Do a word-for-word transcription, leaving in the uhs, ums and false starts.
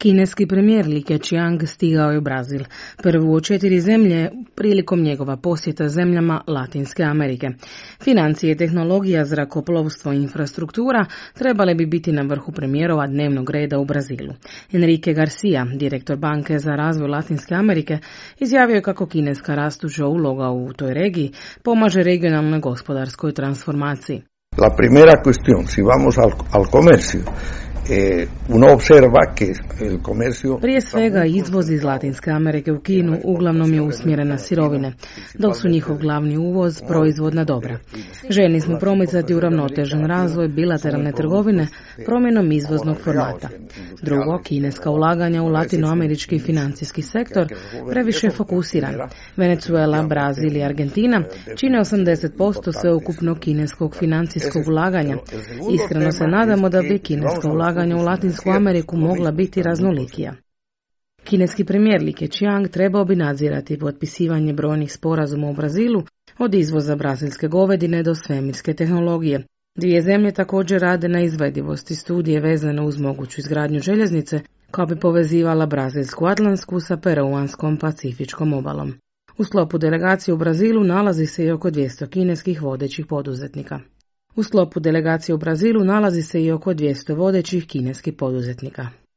Kineski premijer Li Keqiang stigao je u Brazil, prvu od četiri zemlje prilikom njegova posjeta zemljama Latinske Amerike. Financije, tehnologija, zrakoplovstvo i infrastruktura trebale bi biti na vrhu premijerova dnevnog reda u Brazilu. Enrique Garcia, direktor Banke za razvoj Latinske Amerike, izjavio je kako kineska rastuća uloga u toj regiji pomaže regionalnoj gospodarskoj transformaciji. La primera cuestión, si vamos al, al comercio, Eh, uno observa que el comercio... Prije svega, izvoz iz Latinske Amerike u Kinu uglavnom je usmjeren na sirovine, dok su njihov glavni uvoz proizvodna dobra. Željni smo promicati uravnotežen razvoj bilateralne trgovine promjenom izvoznog formata. Drugo, kineska ulaganja u latinoamerički financijski sektor previše je fokusiran. Venezuela, Brazil i Argentina čine osamdeset posto sveukupnog kineskog financijskog ulaganja. Iskreno se nadamo da bi kineska ulaganja u Latinsku Ameriku mogla biti raznolikija. Kineski premijer Li Keqiang trebao bi nadzirati potpisivanje brojnih sporazuma u Brazilu, od izvoza brazilske govedine do svemirske tehnologije. Dvije zemlje također rade na izvedivosti studije vezane uz moguću izgradnju željeznice koja bi povezivala brazilsku Atlantsku sa peruanskom pacifičkom obalom. U sklopu delegacije u Brazilu nalazi se i oko dvjesto kineskih vodećih poduzetnika. U sklopu delegacije u Brazilu nalazi se i oko dvjesto vodećih kineskih poduzetnika.